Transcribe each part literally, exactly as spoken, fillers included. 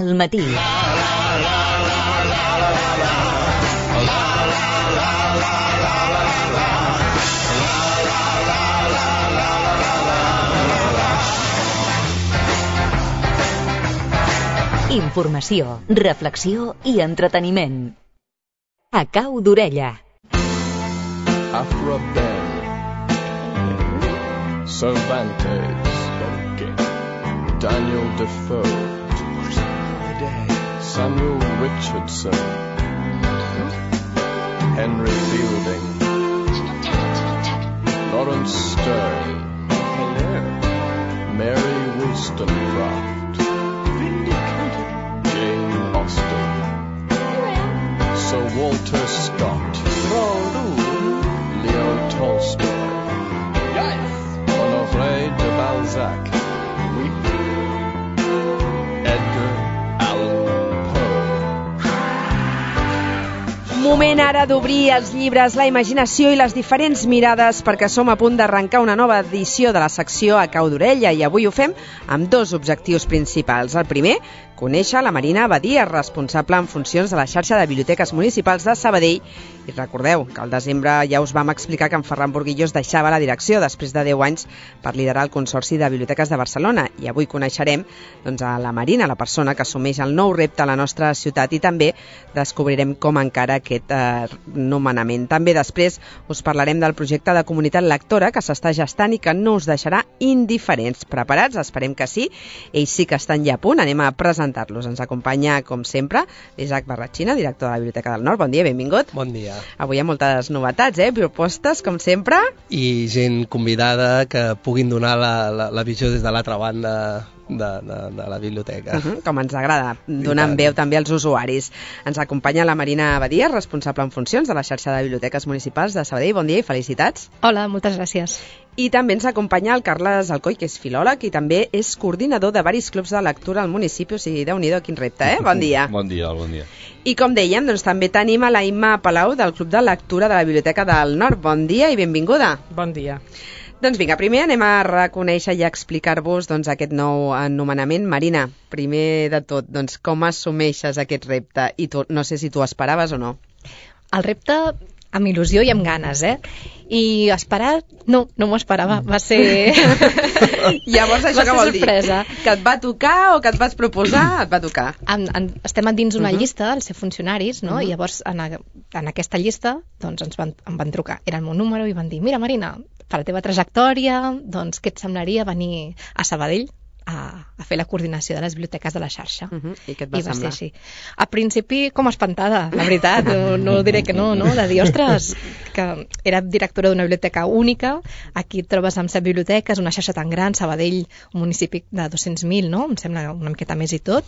al matí. Informació, reflexió i entreteniment. A cau d'orella. After a bell, Cervantes, okay. Daniel Defoe, Samuel Richardson, Henry Fielding, Lawrence Stern, Mary Wollstonecraft, Jane Austen, Sir Walter Scott, Leo Tolstoy, Honoré de Balzac, Edgar Allan Poe. Moment ara d'obrir els llibres, la imaginació i les diferents mirades, perquè som a punt d'arrencar una nova edició de la secció A cau d'orella, i avui ho fem amb dos objectius principals. El primer, conèixer la Marina Badia, responsable en funcions de la xarxa de biblioteques municipals de Sabadell. I recordeu que al desembre ja us vam explicar que en Ferran Burguillos deixava la direcció després de deu anys per liderar el Consorci de Biblioteques de Barcelona. I avui coneixerem doncs, a la Marina, la persona que assumeix el nou repte a la nostra ciutat, i també descobrirem com encara aquest eh, nomenament. També després us parlarem del projecte de comunitat lectora que s'està gestant i que no us deixarà indiferents. Preparats? Esperem que sí. Ells sí que estan ja a punt. Anem a presentar-los. Ens acompanya, com sempre, l'Isaac Barratxina, director de la Biblioteca del Nord. Bon dia, benvingut. Bon dia. Avui hi ha moltes novetats, eh? Propostes, com sempre. I gent convidada que puguin donar la, la, la visió des de l'altra banda de, de, de la biblioteca. Uh -huh, com ens agrada, donant veu també als usuaris. Ens acompanya la Marina Badia, responsable en funcions de la xarxa de biblioteques municipals de Sabadell. Bon dia i felicitats. Hola, moltes gràcies. I també ens acompanya el Carles Alcoi, que és filòleg i també és coordinador de varis clubs de lectura al municipi. O sigui, Déu-n'hi-do, quin repte, eh? Bon dia. Bon dia, bon dia. I com dèiem, doncs també tenim a la Imma Palau del Club de Lectura de la Biblioteca del Nord. Bon dia i benvinguda. Bon dia. Doncs vinga, primer anem a reconèixer i a explicar-vos doncs, aquest nou anomenament. Marina, primer de tot, doncs, com assumeixes aquest repte? I tu, no sé si tu esperaves o no. El repte amb il·lusió i amb ganes, eh? I esperar, no, no m'ho esperava, va ser... Llavors això què vol dir? Sorpresa. Que et va tocar o que et vas proposar? Et va tocar. En, en, estem dins una Uh-huh. llista, el ser funcionaris, no? Uh-huh. I llavors en, a, en aquesta llista doncs ens van, em van trucar, era el meu número, i van dir, mira Marina, per la teva trajectòria, doncs què et semblaria venir a Sabadell a, a fer la coordinació de les biblioteques de la xarxa. Uh-huh. I què et va, I va semblar? ser així. A principi, com espantada, la veritat, no, no diré que no, no? De dir, ostres, que era directora d'una biblioteca única, aquí et trobes amb set biblioteques, una xarxa tan gran, Sabadell, un municipi de dos-cents mil, no? Em sembla una miqueta més i tot,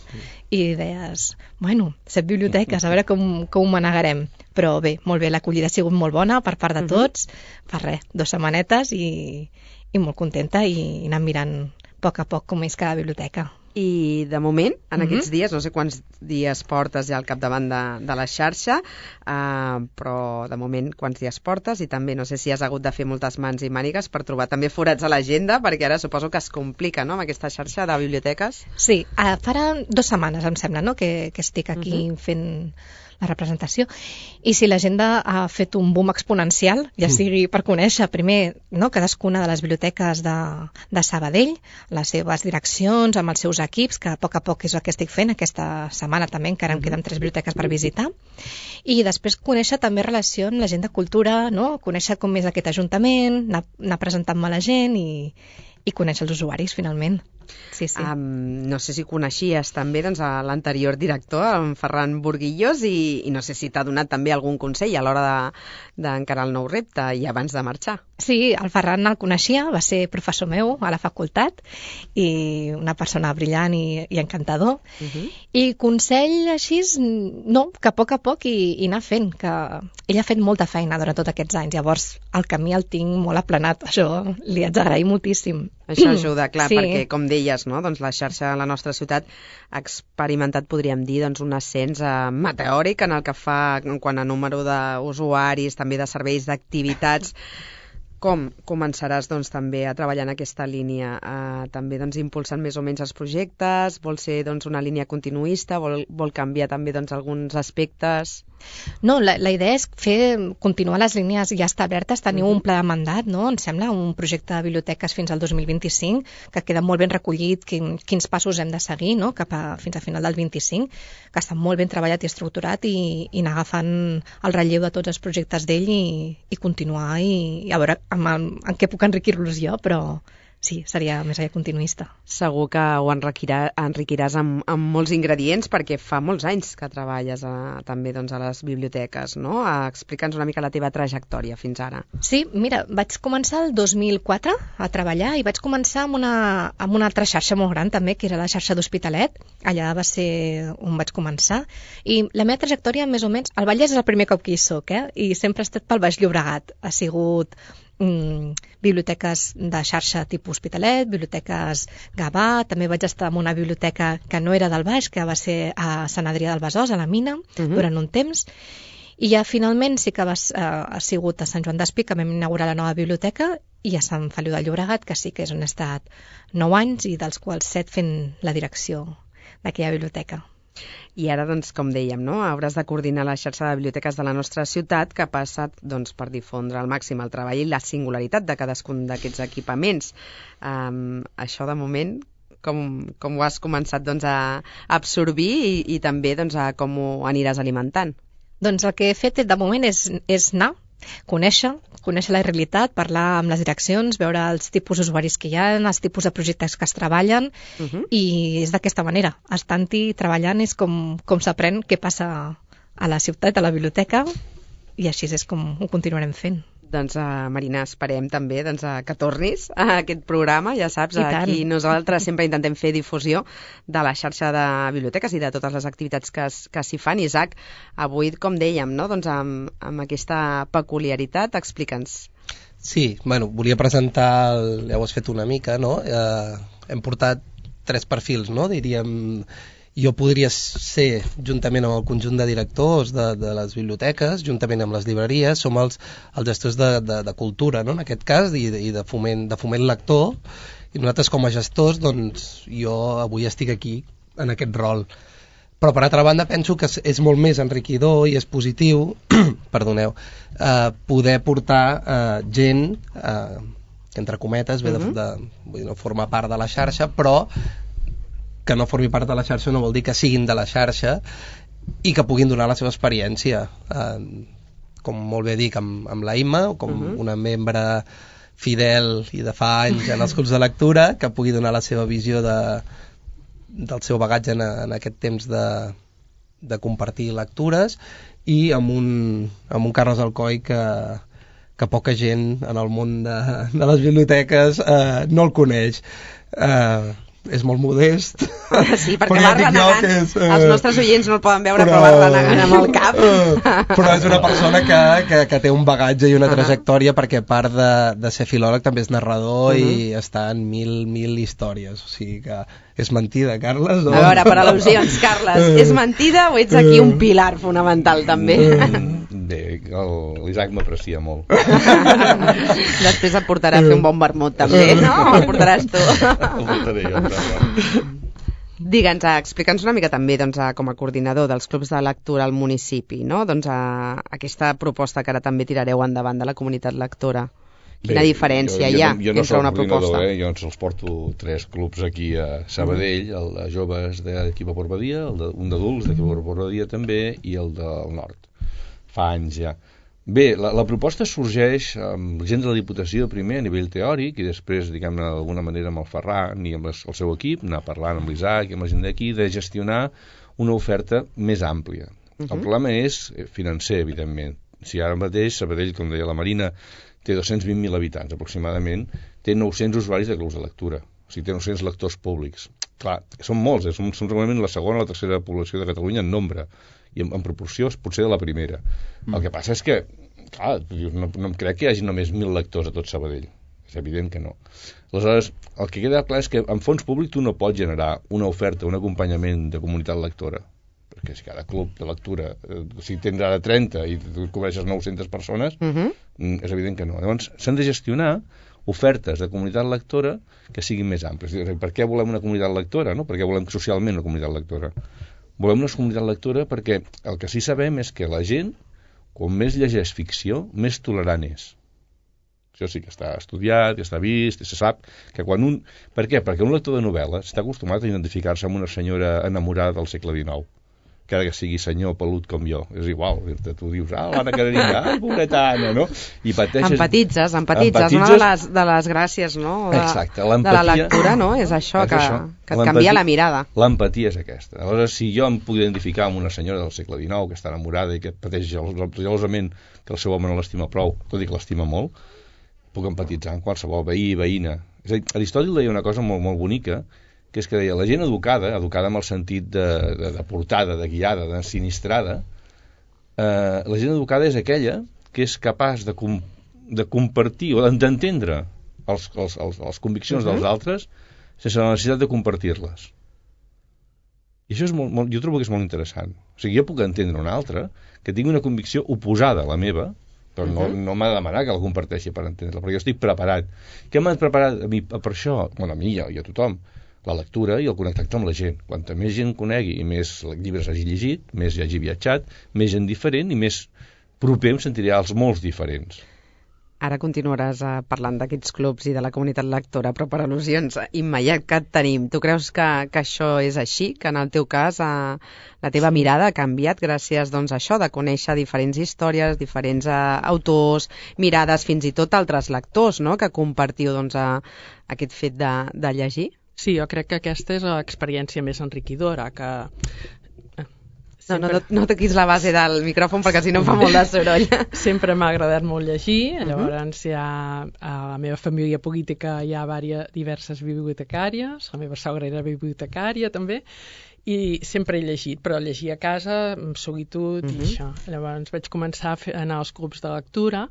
i deies, bueno, set biblioteques, a veure com, com ho manegarem. Però bé, molt bé, l'acollida ha sigut molt bona per part de tots, per res, dues setmanetes i, i molt contenta, i anant mirant a poc a poc com és cada biblioteca. I de moment, en Mhm. aquests dies, no sé quants dies portes ja al capdavant de, de la xarxa, uh, però de moment quants dies portes, i també no sé si has hagut de fer moltes mans i mànigues per trobar també forats a l'agenda, perquè ara suposo que es complica, no?, amb aquesta xarxa de biblioteques. Sí, uh, farà dues setmanes, em sembla, no?, que, que estic aquí uh-huh. fent la representació, i si l'agenda ha fet un boom exponencial, ja sigui per conèixer primer, no?, cadascuna de les biblioteques de, de Sabadell, les seves direccions, amb els seus equips, que a poc a poc és el que estic fent aquesta setmana també, encara em queden tres biblioteques per visitar, i després conèixer també relació amb la gent de cultura, no?, conèixer com és aquest ajuntament, anar, anar presentant-me a la gent i, i conèixer els usuaris finalment. Sí, sí. Um, no sé si coneixies també doncs, a l'anterior director, en Ferran Burguillos, i, i no sé si t'ha donat també algun consell a l'hora d'encarar de, el nou repte i abans de marxar. Sí, el Ferran el coneixia, va ser professor meu a la facultat, i una persona brillant i, i encantador. Uh-huh. I consell així, no, que a poc a poc i, i anar fent, que ell ha fet molta feina durant tots aquests anys, llavors el camí el tinc molt aplanat, això li haig d'agrair moltíssim. Això ajuda, clar, sí. perquè com deies, no? Doncs la xarxa a la nostra ciutat ha experimentat, podríem dir, doncs un ascens eh, meteòric en el que fa en quant a número d'usuaris, també de serveis, d'activitats. com començaràs doncs, també a treballar en aquesta línia? Uh, també doncs, impulsant més o menys els projectes? Vol ser doncs, una línia continuista? Vol, vol canviar també doncs, alguns aspectes? No, la, la idea és fer, continuar les línies ja establertes, tenir Mhm. un pla de mandat, no? Em sembla, un projecte de biblioteques fins al dos mil vint-i-cinc, que queda molt ben recollit quin, quins passos hem de seguir, no? Cap a, fins a final del vint-i-cinc, que està molt ben treballat i estructurat i, i anar agafant el relleu de tots els projectes d'ell i, i continuar i, i a veure en, en què puc enriquir-los jo, però sí, seria més allà continuista. Segur que ho enriquirà, enriquiràs amb, amb molts ingredients perquè fa molts anys que treballes a, també doncs, a les biblioteques, no? A, explica'ns una mica la teva trajectòria fins ara. Sí, mira, vaig començar el dos mil quatre a treballar i vaig començar amb una, amb una altra xarxa molt gran també, que era la xarxa d'Hospitalet. Allà va ser on vaig començar. I la meva trajectòria, més o menys, el Vallès és el primer cop que hi soc, eh? I sempre he estat pel Baix Llobregat. Ha sigut Mm, biblioteques de xarxa tipus Hospitalet, biblioteques Gavà, també vaig estar en una biblioteca que no era del Baix, que va ser a Sant Adrià del Besòs, a la Mina, uh-huh. durant un temps, i ja finalment sí que va, eh, ha sigut a Sant Joan d'Espí que vam inaugurar la nova biblioteca i a Sant Feliu de Llobregat, que sí que és on he estat nou anys i dels quals set fent la direcció d'aquella biblioteca. I ara, doncs, com dèiem, no? Hauràs de coordinar la xarxa de biblioteques de la nostra ciutat que passa doncs, per difondre al màxim el treball i la singularitat de cadascun d'aquests equipaments. Um, això, de moment, com, com ho has començat doncs, a absorbir i, i també doncs, a com ho aniràs alimentant? Doncs el que he fet de moment és, és anar, conèixer, conèixer la realitat, parlar amb les direccions, veure els tipus d'usuaris que hi ha, els tipus de projectes que es treballen, uh-huh. i és d'aquesta manera. Estant-hi treballant és com, com s'aprèn què passa a la ciutat, a la biblioteca, i així és com ho continuarem fent. Doncs, uh, Marina, esperem també doncs, uh, que tornis a aquest programa. Ja saps, aquí nosaltres sempre intentem fer difusió de la xarxa de biblioteques i de totes les activitats que, es, que s'hi fan. Isaac, avui, com dèiem, no? doncs amb, amb aquesta peculiaritat, explica'ns. Sí, bueno, volia presentar, el, ja ho has fet una mica, no? Eh, hem portat tres perfils, no? Diríem, jo podria ser, juntament amb el conjunt de directors de, de les biblioteques, juntament amb les llibreries, som els, els gestors de, de, de cultura, no? En aquest cas, i de, i de, foment, de foment lector, i nosaltres com a gestors, doncs, jo avui estic aquí en aquest rol. Però, per altra banda, penso que és molt més enriquidor i és positiu, perdoneu, eh, poder portar eh, gent, eh, entre cometes, ve de, de, vull dir, no forma part de la xarxa, però que no formi part de la xarxa no vol dir que siguin de la xarxa i que puguin donar la seva experiència. Eh, com molt bé dic, amb, amb la Imma, com uh-huh. una membre fidel i de fa anys en els clubs de lectura, que pugui donar la seva visió de, del seu bagatge en, en aquest temps de, de compartir lectures, i amb un, amb un Carles Alcoi que, que poca gent en el món de, de les biblioteques eh, no el coneix. Eh, és molt modest. Sí, perquè va renegant. És, eh, els nostres oients no el poden veure, però, però va renegant amb el cap. Eh, però és una persona que, que, que té un bagatge i una uh-huh. trajectòria, perquè a part de, de ser filòleg també és narrador uh-huh. i està en mil, mil històries. O sigui que és mentida, Carles? O... A veure, per al·lusions, Carles, és mentida o ets aquí un pilar fonamental també? Bé, l'Isaac m'aprecia molt. Després et portarà a fer un bon vermut també, no? O el portaràs tu? El portaré jo, però... Digue'ns, explica'ns una mica també doncs, com a coordinador dels clubs de lectura al municipi, no? Doncs, a, aquesta proposta que ara també tirareu endavant de la comunitat lectora. Quina Bé, diferència jo, jo, hi ha jo no entre una proposta? Eh? Jo els porto tres clubs aquí a Sabadell, el de joves d'aquí a Portbadia, el de, un d'adults d'aquí a Portbadia també, i el del nord. Fa anys ja. Bé, la, la proposta sorgeix amb gent de la Diputació primer a nivell teòric i després, diguem-ne, d'alguna manera amb el Ferran i amb el seu equip, anar parlant amb l'Isaac i amb la gent d'aquí, de gestionar una oferta més àmplia. Uh-huh. El problema és financer, evidentment. Si ara mateix Sabadell, com deia la Marina, té dos-cents vint mil habitants aproximadament, té nou-cents usuaris de clubs de lectura, o sigui, té nou-cents lectors públics. Clar, són molts, som, som realment la segona o la tercera població de Catalunya en nombre, i en, en proporció potser de la primera. Mm. El que passa és que, clar, no, no em crec que hi hagi només mil lectors a tot Sabadell. És evident que no. Aleshores, el que queda clar és que en fons públic tu no pots generar una oferta, un acompanyament de comunitat lectora. perquè si cada club de lectura, eh, si tens ara trenta i tu cobreixes nou-centes persones, Uh -huh. mm, és evident que no. Llavors, s'han de gestionar ofertes de comunitat lectora que siguin més àmplies. Per què volem una comunitat lectora? No? Per què volem socialment una comunitat lectora? Volem una comunitat lectora perquè el que sí sabem és que la gent, quan més llegeix ficció, més tolerant és. Això sí que està estudiat, que està vist, i se sap que quan un... Per què? Perquè un lector de novel·la està acostumat a identificar-se amb una senyora enamorada del segle dinou, encara que sigui senyor pelut com jo. És igual, tu dius, ah, l'Anna Karenina, ai, pobreta Anna, no? I pateixes... Empatitzes, empatitzes, empatitzes. Una de les, de les gràcies, no? De, Exacte, de l'empatia... la lectura, no? És això, és que, això. que et canvia la mirada. L'empatia és aquesta. Aleshores, si jo em puc identificar amb una senyora del segle dinou que està enamorada i que pateix gelosament que el seu home no l'estima prou, tot i que l'estima molt, puc empatitzar amb qualsevol veí i veïna. És a dir, Aristòtil deia una cosa molt, molt bonica, que és que deia, la gent educada, educada amb el sentit de, de, de portada, de guiada, de sinistrada, eh, la gent educada és aquella que és capaç de, com, de compartir o d'entendre els, els, els, les conviccions uh -huh. dels altres sense la necessitat de compartir-les. I això és molt, molt, jo trobo que és molt interessant. O sigui, jo puc entendre un altre que tingui una convicció oposada a la meva, però no, no m'ha de demanar que la comparteixi per entendre-la, perquè jo estic preparat. Què m'ha preparat a mi per això? Bueno, a mi i a, i a tothom. La lectura i el connectar amb la gent. Quanta més gent conegui i més llibres hagi llegit, més hagi viatjat, més gent diferent i més proper em sentiré als molts diferents. Ara continuaràs uh, parlant d'aquests clubs i de la comunitat lectora, però per al·lusions immediat que et tenim. Tu creus que, que això és així? Que en el teu cas uh, la teva sí. mirada ha canviat gràcies doncs, a això, de conèixer diferents històries, diferents uh, autors, mirades, fins i tot altres lectors, no?, que compartiu doncs, uh, aquest fet de, de llegir? Sí, jo crec que aquesta és l'experiència més enriquidora, que... Sempre... No, no, no toquis la base del micròfon perquè si no fa molt de soroll. Sempre m'ha agradat molt llegir, llavors hi ha, a la meva família política hi ha diverses, diverses bibliotecàries, la meva sogra era bibliotecària també, i sempre he llegit, però llegir a casa amb solitud uh -huh. i això. Llavors vaig començar a, fer, a anar als clubs de lectura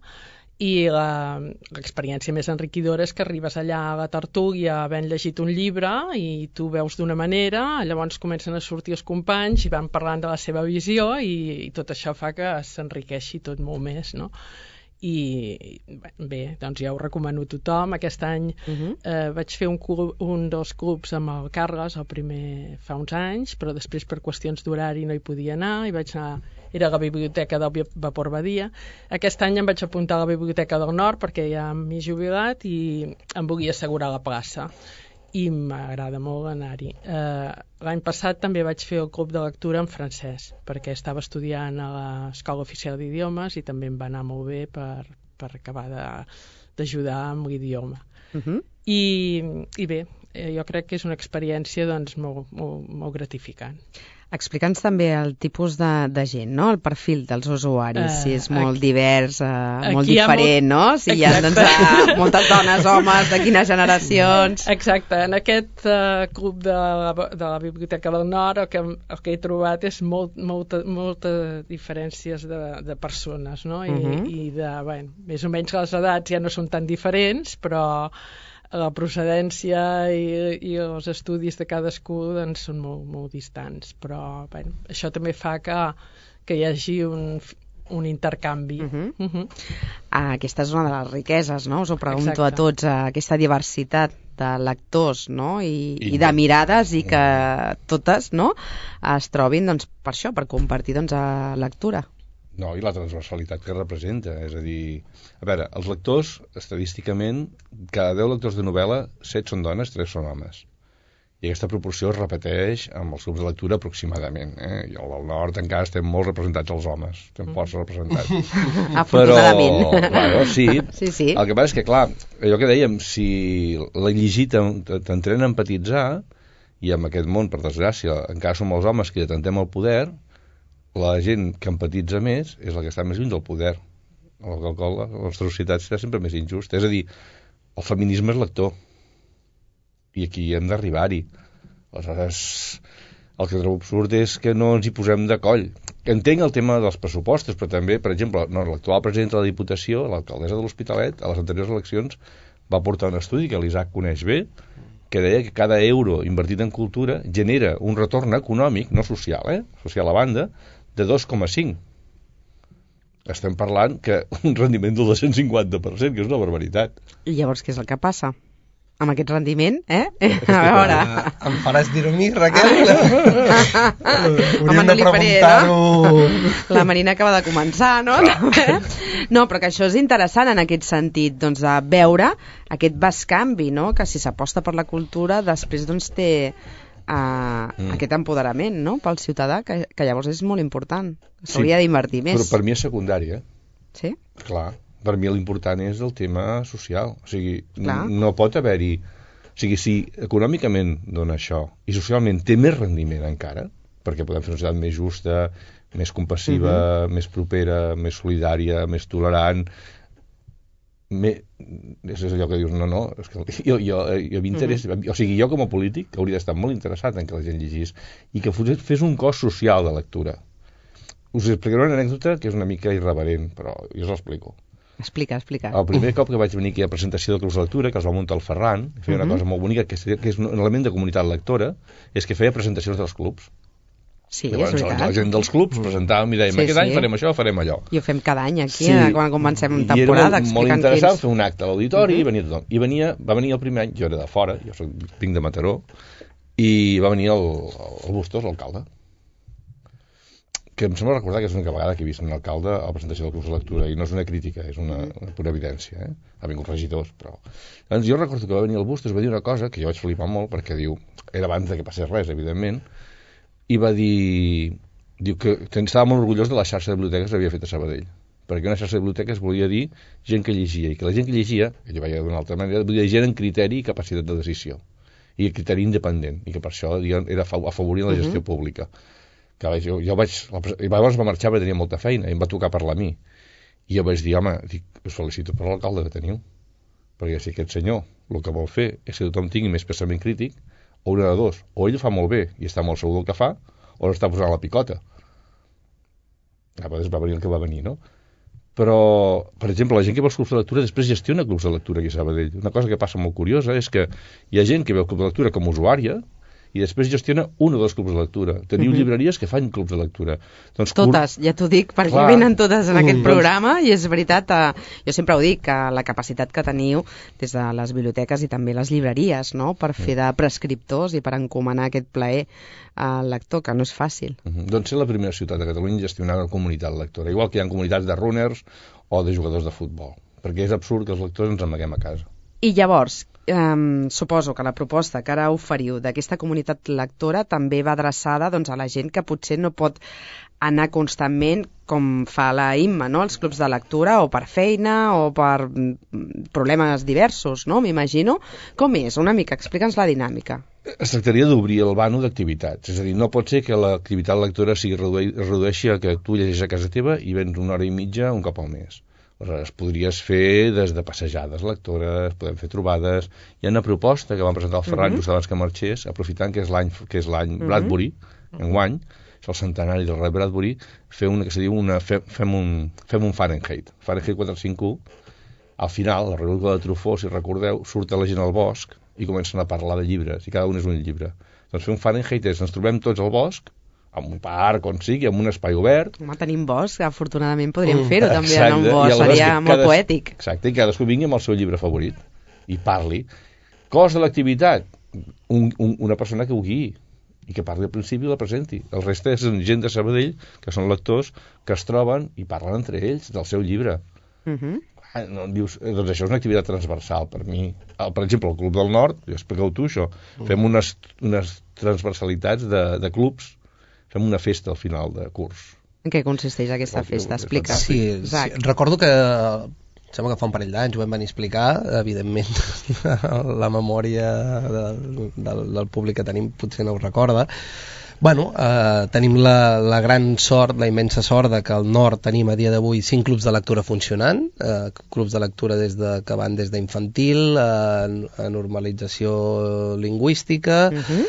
i l'experiència més enriquidora és que arribes allà a la tertúlia havent llegit un llibre i tu veus d'una manera, llavors comencen a sortir els companys i van parlant de la seva visió i, i tot això fa que s'enriqueixi tot molt més, no? I bé, doncs ja ho recomano a tothom. Aquest any uh-huh. eh, vaig fer un, club, un dels clubs amb el Carles, el primer fa uns anys, però després per qüestions d'horari no hi podia anar i vaig anar, era a la biblioteca del Vapor Badia. Aquest any em vaig apuntar a la biblioteca del Nord perquè ja m'he jubilat i em volia assegurar la plaça i m'agrada molt anar-hi. Eh, l'any passat també vaig fer el club de lectura en francès, perquè estava estudiant a l'Escola Oficial d'Idiomes i també em va anar molt bé per, per acabar d'ajudar amb l'idioma. Uh-huh. I, I bé, eh, jo crec que és una experiència doncs, molt, molt, molt gratificant. Explica'ns també el tipus de, de gent, no? El perfil dels usuaris, uh, si és molt aquí, divers, uh, molt diferent, molt... no? Si Exacte. Hi ha doncs, uh, moltes dones, homes, de quines generacions... Exacte, en aquest uh, club de la, de la Biblioteca del Nord el que, el que he trobat és molt, molta, molta diferències de, de persones, no? I, uh-huh. i de, bueno, més o menys les edats ja no són tan diferents, però... la procedència i, i els estudis de cadascú doncs, són molt, molt distants, però bueno, això també fa que, que hi hagi un, un intercanvi. Uh-huh. Uh-huh. Aquesta és una de les riqueses, no? Us ho pregunto Exacte. a tots, aquesta diversitat de lectors, no? I, I, i de mirades i que totes, no?, es trobin doncs, per això, per compartir doncs, a lectura. No, i la transversalitat que representa, és a dir, a veure, els lectors, estadísticament, cada deu lectors de novel·la, set són dones, tres són homes. I aquesta proporció es repeteix amb els grups de lectura aproximadament. Eh? I al nord encara estem molt representats els homes, estem mm. força representats. Afortunadament. Però, claro, sí. sí, sí. El que passa és que, clar, allò que dèiem, si la llegir t'entrena a empatitzar, i en aquest món, per desgràcia, encara som els homes que detentem el poder, la gent que empatitza més és la que està més lluny del poder. El qual la nostra societat està sempre més injusta. És a dir, el feminisme és lector. I aquí hem d'arribar-hi. Aleshores, el que trobo absurd és que no ens hi posem de coll. Entenc el tema dels pressupostos, però també, per exemple, no, l'actual president de la Diputació, l'alcaldessa de l'Hospitalet, a les anteriors eleccions, va portar un estudi que l'Isaac coneix bé, que deia que cada euro invertit en cultura genera un retorn econòmic, no social, eh? social a banda, de dos coma cinc. Estem parlant que un rendiment del dos cents cinquanta per cent, que és una barbaritat. I llavors què és el que passa? Amb aquest rendiment, eh? A veure... Em faràs dir-ho a mi, Raquel? Home, no li faré, no? La Marina acaba de començar, no? No, però que això és interessant en aquest sentit, doncs, de veure aquest bescanvi, no? Que si s'aposta per la cultura, després doncs té uh, mm. aquest empoderament, no? Pel ciutadà, que, que llavors és molt important. S'hauria sí, d'invertir més. Però per mi és secundari, eh? Sí? Clar. Per mi l'important és el tema social. O sigui, Clar. no pot haver-hi... O sigui, si econòmicament dona això i socialment té més rendiment encara, perquè podem fer una societat més justa, més compassiva, uh-huh. més propera, més solidària, més tolerant... Me... És allò que dius, no, no, és que jo, jo, jo m'interessa... Uh-huh. O sigui, jo com a polític hauria d'estar molt interessat en que la gent llegís i que fes un cos social de lectura. Us explicaré una anècdota que és una mica irreverent, però jo us l'explico. Explica, explica. El primer cop que vaig venir aquí a presentació de Clubs de Lectura, que els va muntar el Ferran, feia una uh-huh. cosa molt bonica, que és, que és un element de comunitat lectora, és que feia presentacions dels clubs. Sí, llavors, és veritat. La gent dels clubs presentàvem i dèiem, sí, aquest sí. any farem això, farem allò. I ho fem cada any aquí, sí. quan comencem una temporada. I era molt, molt interessant quins... fer un acte a l'auditori uh-huh. i venia tothom. I venia, va venir el primer any, jo era de fora, jo soc, vinc de Mataró, i va venir el, el Bustos, l'alcalde, que em sembla recordar que és l'única vegada que he vist un alcalde a la presentació del curs de lectura, i no és una crítica, és una, una pura evidència, eh? Ha vingut regidors, però... Llavors jo recordo que va venir el Bustos, va dir una cosa que jo vaig flipar molt, perquè diu, era abans de que passés res, evidentment, i va dir, diu que estava molt orgullós de la xarxa de biblioteques que havia fet a Sabadell, perquè una xarxa de biblioteques volia dir gent que llegia, i que la gent que llegia, que jo veia d'una altra manera, volia dir gent en criteri i capacitat de decisió, i criteri independent, i que per això era afavorir la gestió uh-huh. pública. Que jo, jo vaig, i llavors va marxar perquè tenia molta feina i em va tocar parlar a mi i jo vaig dir, home, dic, us felicito per l'alcalde que teniu, perquè si aquest senyor el que vol fer és que tothom tingui més pensament crític, o una de dos, o ell ho fa molt bé i està molt segur del que fa, o l'està posant a la picota. A vegades va venir el que va venir, no? Però, per exemple, la gent que vol clubs de lectura després gestiona clubs de lectura aquí a Sabadell. Una cosa que passa molt curiosa és que hi ha gent que veu club de lectura com a usuària i després gestiona un o dos clubs de lectura. Teniu uh-huh. llibreries que fan clubs de lectura. Doncs, totes, ja t'ho dic, perquè clar. Venen totes en aquest uh-huh. programa, i és veritat, eh, jo sempre ho dic, que la capacitat que teniu des de les biblioteques i també les llibreries, no?, per fer de prescriptors i per encomanar aquest plaer al lector, que no és fàcil. Uh-huh. Doncs ser la primera ciutat de Catalunya en gestionar una comunitat lectora, igual que hi ha comunitats de runners o de jugadors de futbol, perquè és absurd que els lectors ens amaguem a casa. I llavors, Um, suposo que la proposta que ara oferiu d'aquesta comunitat lectora també va adreçada doncs, a la gent que potser no pot anar constantment com fa la Imma, no? Els clubs de lectura, o per feina o per problemes diversos, no? M'imagino. Com és? Una mica, explica'ns la dinàmica. Es tractaria d'obrir el vano d'activitats, és a dir, no pot ser que l'activitat lectora sigui reduï, redueixi a que tu llegeixes a casa teva i vens una hora i mitja un cop al mes. Es podries fer des de passejades lectores, podem fer trobades. Hi ha una proposta que vam presentar al Ferran uh-huh. just abans que marxés, aprofitant que és l'any que és l'any uh-huh. Bradbury, enguany, és el centenari del rei Bradbury, fer una que se diu una, fe, fem, un, fem un Fahrenheit. Fahrenheit quatre cents cinquanta u, al final, la República de Truffaut, si recordeu, surt la gent al bosc i comencen a parlar de llibres, i cada un és un llibre. Doncs fer un Fahrenheit és, ens trobem tots al bosc, en un parc, on sigui, en un espai obert. Home, tenim bosc, afortunadament podríem fer-ho també exacte, en un bosc, seria molt cada, poètic. Exacte, i cadascú vingui amb el seu llibre favorit i parli. Cos de l'activitat, un, un, una persona que ho guiï i que parli al principi i la presenti. El reste és gent de Sabadell, que són lectors, que es troben i parlen entre ells del seu llibre. Uh-huh. Ah, no, dius, doncs això és una activitat transversal per mi. El, per exemple, el Club del Nord, expliqueu tu això, uh-huh. fem unes, unes transversalitats de, de clubs, fem una festa al final de curs. En què consisteix aquesta festa? Explica. Sí, sí, recordo que sembla que fa un parell d'anys ho vam venir a explicar, evidentment la memòria del, del, del públic que tenim potser no ho recorda. Bueno, eh, tenim la, la gran sort, la immensa sort de que al nord tenim a dia d'avui cinc clubs de lectura funcionant, eh, clubs de lectura des de, que van des d'infantil a, a normalització lingüística, uh-huh.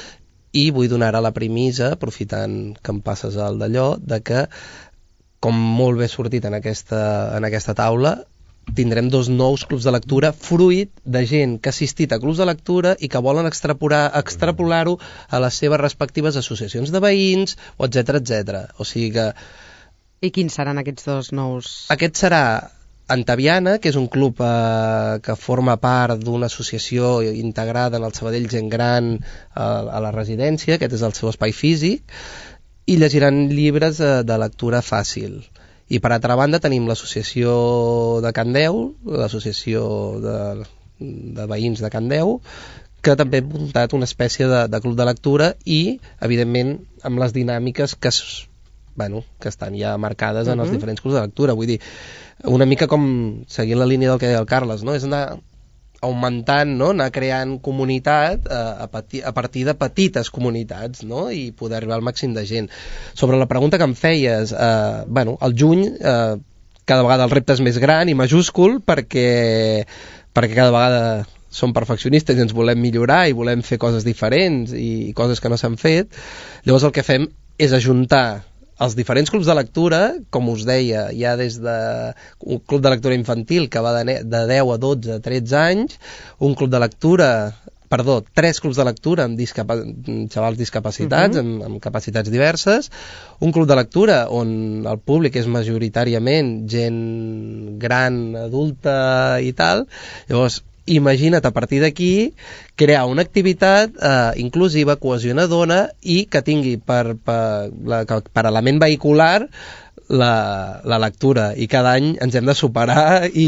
i vull donar ara la premissa, aprofitant que em passes el d'allò, de que, com molt bé sortit en aquesta, en aquesta taula, tindrem dos nous clubs de lectura fruit de gent que ha assistit a clubs de lectura i que volen extrapolar, extrapolar-ho a les seves respectives associacions de veïns, o etcètera, etcètera. O sigui que... I quins seran aquests dos nous? Aquest serà Antaviana, que és un club eh, que forma part d'una associació integrada en el Sabadell Gent Gran a, a la residència, aquest és el seu espai físic, i llegiran llibres eh, de lectura fàcil. I per altra banda tenim l'associació de Candeu, l'associació de, de veïns de Candeu, que també ha muntat una espècie de, de club de lectura i, evidentment, amb les dinàmiques que, bueno, que estan ja marcades en els Uh-huh. diferents clubs de lectura. Vull dir, una mica com seguint la línia del que deia el Carles, no? És anar augmentant, no? Anar creant comunitat eh, a, pati, a partir de petites comunitats, no? I poder arribar al màxim de gent. Sobre la pregunta que em feies, eh, bueno, al juny eh, cada vegada el repte és més gran i majúscul perquè, perquè cada vegada som perfeccionistes i ens volem millorar i volem fer coses diferents i coses que no s'han fet. Llavors el que fem és ajuntar els diferents clubs de lectura, com us deia, hi ha des de un club de lectura infantil que va de, de deu a dotze a tretze anys, un club de lectura, perdó, tres clubs de lectura amb discapa xavals discapacitats, uh-huh. amb, amb capacitats diverses, un club de lectura on el públic és majoritàriament gent gran, adulta i tal. Llavors, imagina't a partir d'aquí crear una activitat eh, inclusiva, cohesionadora i que tingui per, per, la, per element vehicular la, la lectura, i cada any ens hem de superar i,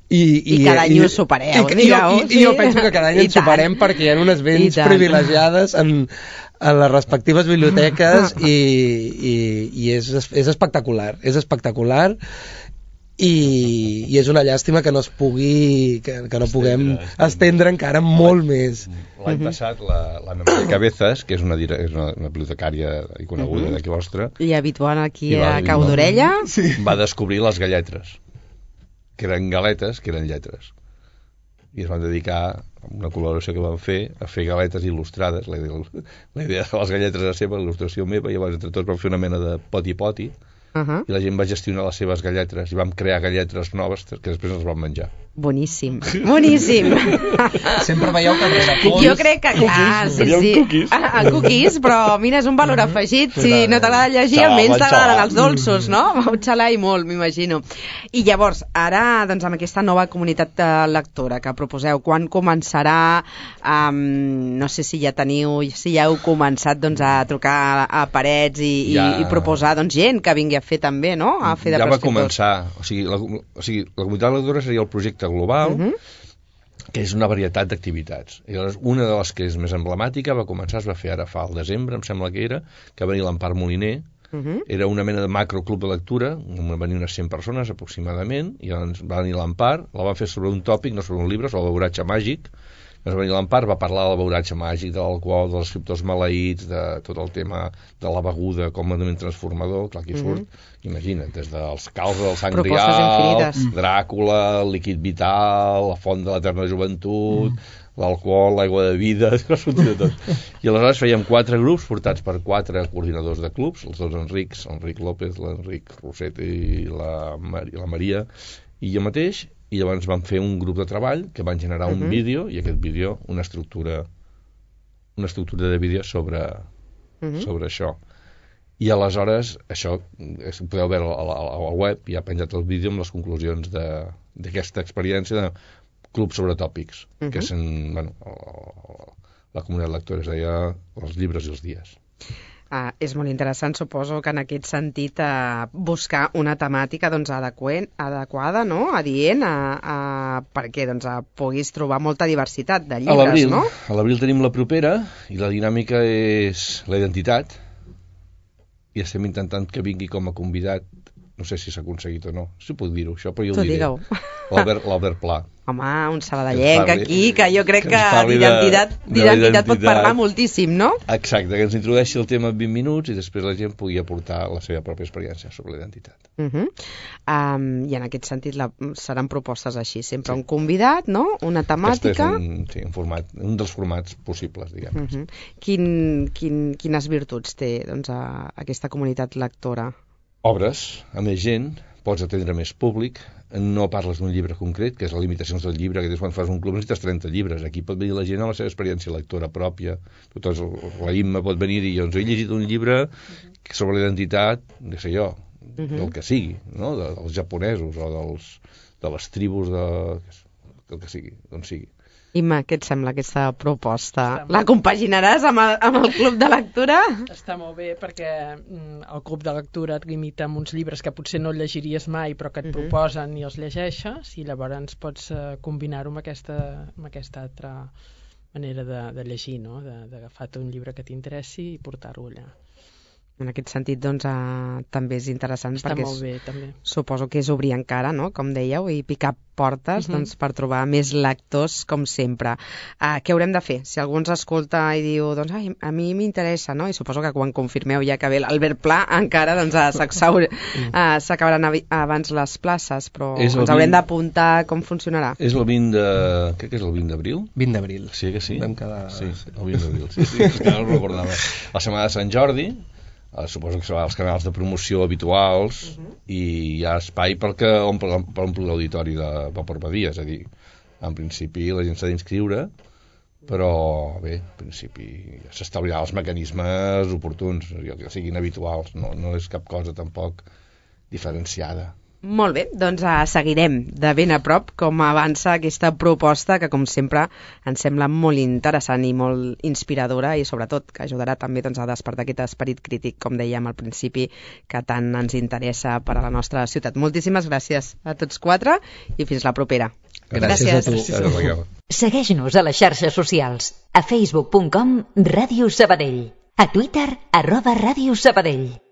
i, I cada any i, ho supereu, i, digueu. i, i, i jo penso que cada any I ens superem tant. perquè hi ha unes vents privilegiades en, en les respectives biblioteques i, i, i és, és espectacular, és espectacular. I, i és una llàstima que no es pugui que, que no puguem estendre, estendre encara molt més. L'any passat la, la Maria Cabezas, que és una, és una, una bibliotecària i coneguda uh-huh. d'aquí vostra, i habitual aquí va, a Cau d'Orella, sí. va descobrir les galletres, que eren galetes, que eren lletres, i es van dedicar a una col·laboració que van fer a fer galetes il·lustrades. La idea, la idea de les galletres era seva, l'il·lustració meva, i llavors entre tots vam fer una mena de poti-poti. Uh-huh. I la gent va gestionar les seves galletres i vam crear galletres noves que després els vam menjar. Boníssim, boníssim. Sempre veieu que rere fons... Jo crec que, clar, sí, sí. Cookies. Ah, cookies, però mira, és un valor afegit. Si no t'agrada llegir, almenys t'agraden els dolços, no? Vau xalar i molt, m'imagino. I llavors, ara, doncs, amb aquesta nova comunitat de lectora que proposeu, quan començarà? Um, no sé si ja teniu, si ja heu començat doncs, a trucar a, a parets i, ja. i, i proposar doncs, gent que vingui a fer també, no? A fer de ja va prescriptors. començar. O sigui, la, o sigui, la comunitat lectora seria el projecte global, uh-huh. que és una varietat d'activitats. I llavors, una de les que és més emblemàtica va començar, es va fer ara fa al desembre, em sembla que era, que va venir l'Empar Moliner, uh-huh. era una mena de macroclub de lectura, van venir unes cent persones aproximadament, i llavors va venir l'Empar, la van fer sobre un tòpic, no sobre un llibre, sobre el beuratge màgic. Llavors va venir l'Empar, va parlar del beuratge màgic, de l'alcohol, dels escriptors maleïts, de tot el tema de la beguda com a element transformador, clar, aquí surt, mm-hmm. imagina't, des dels calços del sang Grial, Dràcula, el líquid vital, la font de l'eterna joventut, mm. l'alcohol, l'aigua de vida, surt de tot. I aleshores fèiem quatre grups portats per quatre coordinadors de clubs, els dos Enrics, l'Enric López, l'Enric Roset i la, Mar la Maria, i jo mateix, i llavors vam fer un grup de treball que van generar un uh-huh. vídeo, i aquest vídeo una estructura una estructura de vídeo sobre uh-huh. sobre això. I aleshores això ho podeu veure a la, a la web, ja ha penjat el vídeo amb les conclusions d'aquesta experiència de club sobre tòpics, uh-huh. que són, bueno, la comunitat lectora es deia els llibres i els dies. Uh, és molt interessant, suposo que en aquest sentit uh, buscar una temàtica doncs, adequent, adequada, no? Adient, a, a, perquè doncs, a, puguis trobar molta diversitat de llibres, no? A l'abril tenim la propera i la dinàmica és la identitat, i estem intentant que vingui com a convidat, no sé si s'ha aconseguit o no, si puc dir-ho, això, però jo ho diré. L'Albert Pla. Home, un sabadellenc aquí, que jo crec que, que d'identitat pot parlar moltíssim, no? Exacte, que ens introdueixi el tema en vint minuts i després la gent pugui aportar la seva pròpia experiència sobre la identitat. Uh -huh. um, I en aquest sentit la, seran propostes així, sempre sí. un convidat, no? Una temàtica... Aquest és un, sí, un, format, un dels formats possibles, diguem. Uh -huh. quin, quin, quines virtuts té doncs, a, aquesta comunitat lectora? Obres, a més gent, pots atendre més públic, no parles d'un llibre concret, que és les limitacions del llibre, que quan fas un club necessites trenta llibres. Aquí pot venir la gent amb la seva experiència lectora pròpia. Tots, la Imma pot venir i dir, doncs he llegit un llibre sobre la identitat, no sé jo, del que sigui, no? De, dels japonesos o dels, de les tribus de... del que sigui, d'on sigui. Imma, què et sembla aquesta proposta? La compaginaràs amb el, amb el club de lectura? Està molt bé perquè mm, el club de lectura et limita amb uns llibres que potser no llegiries mai però que et uh -huh. proposen i els llegeixes i llavors pots uh, combinar-ho amb aquesta, amb aquesta altra manera de, de llegir, no? D'agafar-te un llibre que t'interessi i portar-ho allà. En aquest sentit, doncs, eh, també és interessant Està perquè molt bé, també. Suposo que és obrir encara, no?, com dèieu, i picar portes Uh-huh. doncs, per trobar més lectors, com sempre. Uh, què haurem de fer? Si algú ens escolta i diu, doncs, ai, a mi m'interessa, no?, i suposo que quan confirmeu ja que ve l'Albert Pla, encara doncs, uh, s'acabaran uh, abans les places, però És ens el haurem vint- d'apuntar com funcionarà. És el vint de... crec que és el vint d'abril? vint d'abril. Sí que sí? Vam quedar... Sí, el vint d'abril, sí, sí, és que no ho recordava. La setmana de Sant Jordi, eh, suposo que seran els canals de promoció habituals uh -huh. i hi ha espai perquè omple, per omplir l'auditori de Vapor Badia, és a dir, en principi la gent s'ha d'inscriure, però bé, en principi s'establiran els mecanismes oportuns, que siguin habituals, no, no és cap cosa tampoc diferenciada. Molt bé, doncs uh, seguirem de ben a prop com avança aquesta proposta que, com sempre, ens sembla molt interessant i molt inspiradora i, sobretot, que ajudarà també doncs, a despertar aquest esperit crític, com dèiem al principi, que tant ens interessa per a la nostra ciutat. Moltíssimes gràcies a tots quatre i fins la propera. Gràcies, Gràcies. a tu. Gràcies, Raquel. Segueix-nos a les xarxes socials. A facebook punt com Ràdio Sabadell. A Twitter, arroba Ràdio Sabadell.